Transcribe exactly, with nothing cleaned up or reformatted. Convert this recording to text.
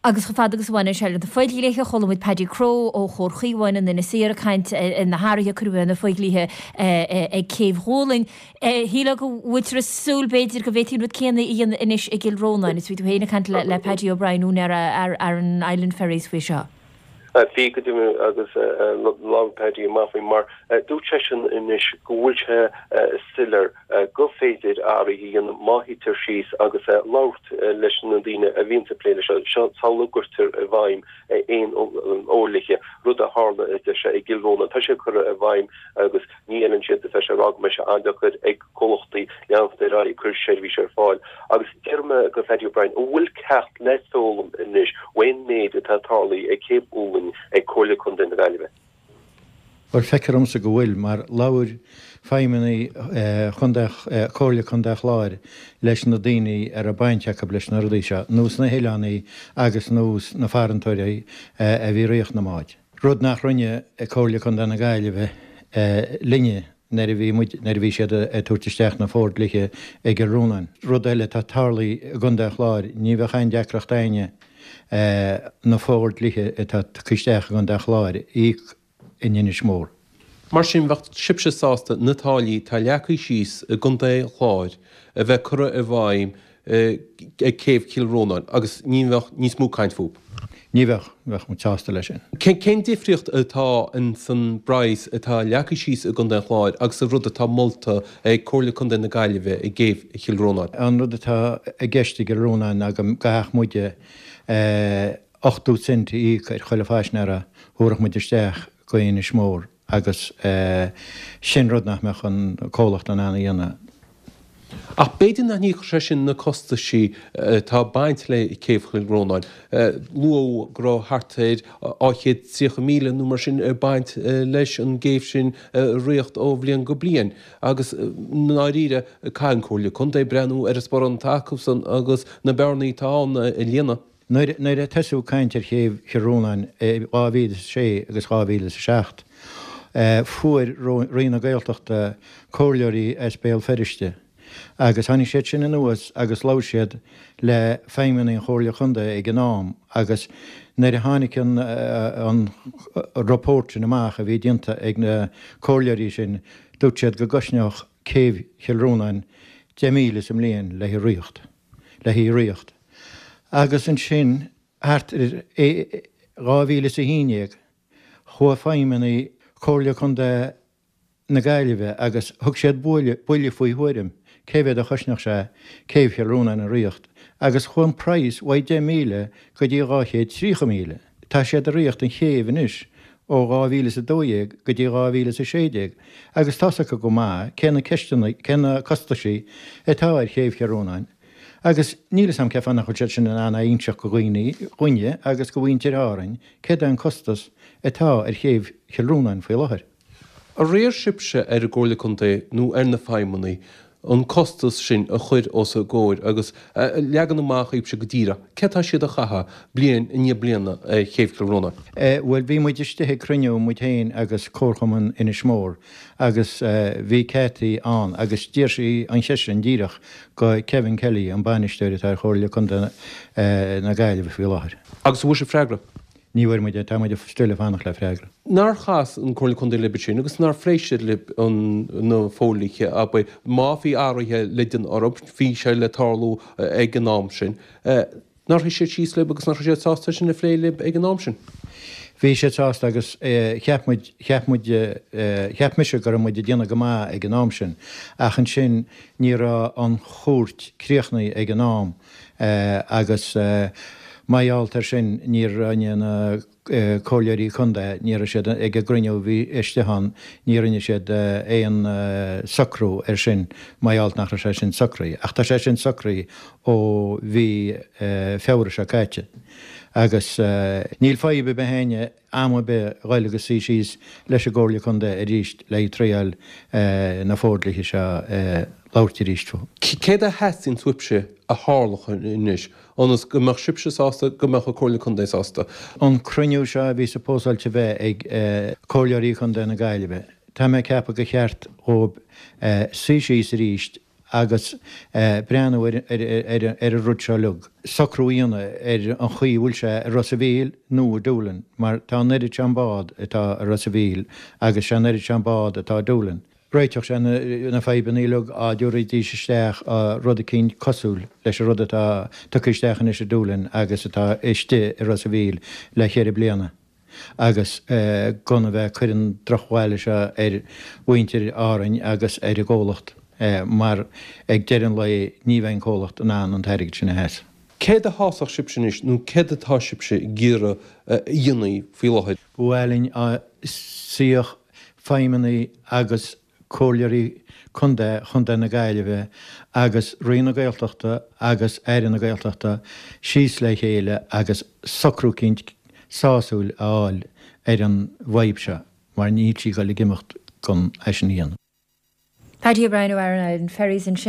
Agus chomh fada agus a bhaineann sé le na fodhlíthe, chuala muid Paddy Crowe ó Chomhar Chaomháin in Inis Oírr ag caint ar na hathruithe a cuireadh ar na fodhlíthe ag Céibh Ghualainn. Shílfeá go bhfuiltear ag súil b'fhéidir go bhféadfaí an rud céanna a dhéanamh anois i gCill Rónáin. Is bhí tú féin ag caint le Paddy O'Brien, úinéir Aran Island Ferries faoi seo. Bhí go deimhin agus labhair Paddy amach faoi mar dúirt seisean anois go bhfuil sé soiléir go féidir athruithe a dhéanamh má shuítear síos agus labhairt leis na daoine a bhíonn ag plé leis seo sula gcuirtear i bhfeidhm aon fhodhlíthe, rud a tharla a deir sé i gCill Rónáin. Tá sé curtha i bhfeidhm agus ní fheileann siad tá sé ag rá go mbeidh sé an-deacair ag comhlachtaí leanacht ar aghaidh ag cur seirbhís ar fáil. Agus deir mé go Paddy O'Brien, an bhfuil ceacht le foghlaim anois ón méid atá tarlaithe ag Céibh Uallainn ag Comhairle Contae na Gaillimhe? Bhuel, feictear domsa go bhfuil, mar labhair feidhmeannaigh Chontae, Comhairle Contae an Chláir leis na daoine a raibh baint acu leis na rudaí seo, nós na hoileánaigh agus nós na farantóirí a bhí ag ritheacht na mbád. Rud nach rinne Comhairle Contae na Gaillimhe linne nuair a bhí muid, nuair a bhí siad ag tabhairt isteach na fórdhlíthe i gCill Rónáin. Rud eile atá tarlaithe i gContae an Chláir, ní bheadh aon deacracht a'inne na fórdhlíthe atá tugtha isteach i gContae an Chláir a íoc in Inis Mór. Mar sin, bheadh sibhse sásta na táillí atá leagtha síos i gContae an Chláir a bheith curtha i bhfeidhm ag Céibh Chill Rónáin agus ní bheadh níos mó caint fúthu? Ní bheadh, bheadh muid sásta leis sin. Cén difríocht atá in san bpraghas atá leagtha síos i gContae an Chláir agus an rud atá molta ag Comhairle Contae na Gaillimhe i gCéibh Chill Rónáin? An rud atá i gceist i gCill Rónáin ná go gcaithfeadh muide ochtó cent a íoc ar chuile phaisinéara a thabharfadh muid isteach go Inis Mór agus sin rud nach mbeadh an comhlacht in ann a dhéanamh. Ach b'fhéidir nach n-íocfadh sé sin na costaisí atá ag baint le Céibh Chill Rónáin. Luadh go raibh thart ar dhá chéad tríocha míle nó mar sin ag baint leis an gcéibh sin a ritheacht ó bhliain go bliain agus i ndáiríre caithfidh an Comhairle Contae breathnú ar an sparán atá acusan agus na bearnaí atá ann a líonadh. Nuair a tosaíodh caint ar Chéibh Chill Rónáin i dhá mhíle is a sé agus dhá mhíle is a seacht, fuair Roinn na Gaeltachta comhairleoirí as Béal Feirste agus tháinig siad sin anuas agus labhair siad le feidhmeannaigh an Chomhairle Chontae ag an am agus nuair a tháinig an report sin amach a bhí déanta ag na comhairleoirí sin dúirt siad go gcosnódh Céibh Chill Rónáin deich míle sa mbliain le hí ritheacht. Le hí ritheacht. Agus ansin, thart ar dhá mhíle is a haon déag, chuaigh feidhmeannaigh Chomhairle Contae na Gaillimhe agus thug siad buille faoi thuairim cé mhéad a chosnódh sé Céibh Chill Rónáin a ritheacht agus chuaigh an praghas uaidh deich míle go dtí dhá chéad tríocha míle. Tá siad ag ritheacht an chéibh anois ó dhá mhíle is a dó dhéag go dtí dhá mhíle is a sé déag agus tá's acu go maith cé na ceisteanna, cé na costaisí atá ar Chéibh Chill Rónáin. Agus níl 'fhios a'm cén fáth nach bhfuil siad sin in ann a inseacht go dhaoine, dhúinne agus go mhuintir Árainn céard é an costas atá ar Chéibh Chill Rónáin faoi láthair. Ar iarr sibhse ar an gComhairle Contae nó ar na feidhmeannaigh an costas sin a chur os a gcomhair agus a leagan amach dhaoibhse go díreach céard tá siad a chaitheamh bliain i ndiaidh bliana ar Chéibh Chill Rónáin? Bhuel, bhí muid istigh ag cruinniú, muid féin agus Comharchumann Inis Mór, agus bhí Cathy ann agus d'iarr sí an cheist sin díreach go Kevin Kelly, an bainisteoir atá ar Chomhairle Contae na Gaillimhe faoi láthair. Agus an bhfuair sibh freagra? Ní bhfuair muid, tá muid still ag fanacht le freagra. Nár chas an Comhairle Contae libh ansin agus nár phléigh siad libh an na fodhlíthe, abair, má bhí athruithe le déanamh orthu, bhí sé le tarlú ag an am sin. Nár shuigh siad síos libh agus nach raibh siad sásta sin a phlé libh ag an am sin? Bhí siad sásta agus cheap muid, cheap muid, cheap mise go raibh muid ag déanamh go maith ag an am sin ach ansin ní raibh an chúirt críochnaithe ag an am agus mar gheall air sin ní rinne na comhairleoirí contae, ní raibh siad ag an gcruinniú a bhí istigh ann, ní rinne siad aon socrú air sin mar gheall nach raibh sé sin socraithe. Ach tá sé sin socraithe ó mhí Feabhra seo caite agus níl fadhb ar bith a'inne am ar bith a ghoil agus suí síos leis an gComhairle Contae arís le triail na fódlithe seo a labhairt arís fúthu. Céard a theastaíonn uaibhse a tharlódh anois ionas go mbeadh sibhse sásta, go mbeadh an Comhairle Contae sásta? An cruinniú seo a bhí supposáilte a bheith ag Comhairleoirí Chontae na Gaillimhe, tá mé ag ceapadh gur cheart dhóibh suí síos arís agus breathnú ar an rud seo uilig, socrú a dhéanamh ar an chaoi a bhfuil sé i Ros a' Mhíl nó i Doolin, mar tá an oiread sin bád atá i Ros a' Mhíl agus sé an oiread sin bád atá i Doolin. Réiteodh sé na fadhbanna uilig dá dtabharfaidís isteach rud eicínt cosúil leis an rud atá tugtha isteach anois i Doolin agus atá istigh i Ros a' Mhíl le ceithre bliana. agus gan a bheith ag cur an drochbhail seo ar mhuintir Árainn agus ar an gcomhlacht mar ag deireadh an lae ní bheidh an comhlacht in ann an t-airgead sin a sheasamh. Céard a shásódh sibhse anois nó céard atá sibhse ag iarraidh a dhéanamh faoi láthair? Ba mhaith linn dá suífeadh feidhmeannaigh agus Comhairleoirí Contae Chontae na Gaillimhe agus Roinn na Gaeltachta agus Aire na Gaeltachta síos le chéile agus socrú eicínt sásúil a fháil ar an bhfadhb seo mar níl sí ag dul ag imeacht gan é sin a dhéanamh. Paddy O'Brien ó Aran Island Ferries ansin.